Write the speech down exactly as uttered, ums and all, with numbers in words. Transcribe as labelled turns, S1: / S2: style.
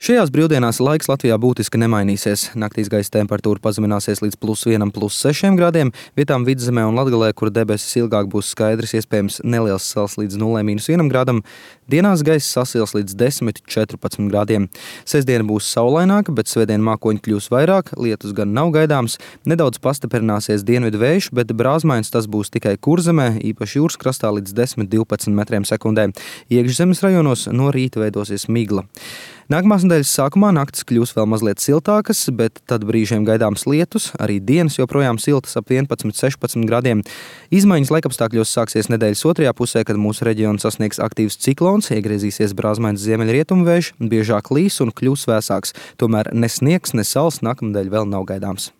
S1: Šajās brīvdienās laiks Latvijā būtiski nemainīsies. Naktīs gaisa temperatūra pazemināsies līdz plus vienam, plus sešiem grādiem. Vietām Vidzemē un Latgalē, kur debesis ilgāk būs skaidrs, iespējams neliels sals līdz nulē mīnus vienam grādam. Dienās gaisa sasils līdz desmit, četrpadsmit grādiem. Sestdiena būs saulaināka, bet svētdien mākoņi kļūs vairāk, lietus gan nav gaidāms. Nedaudz pastiprināsies dienvidu vējš, bet brāzmains tas būs tikai Kurzemē, īpaši jūras krastā līdz desmit, divpadsmit metriem sekundē. Iekšzemes rajonos no rīta veidosies migla. Nākamās nedēļas sākumā naktis kļūs vēl mazliet siltākas, bet tad brīžiem gaidāms lietus, arī dienas joprojām siltas ap vienpadsmit, sešpadsmit grādiem. Izmaiņas laikapstākļos sāksies nedēļas otrajā pusē, kad mūsu reģionu sasniegs aktīvs ciklons, iegriezīsies brāzmains ziemeļrietumu vējš, biežāk līs un kļūs vēsāks. Tomēr ne sniegs, ne sals nākamnedēļ vēl nav gaidāms.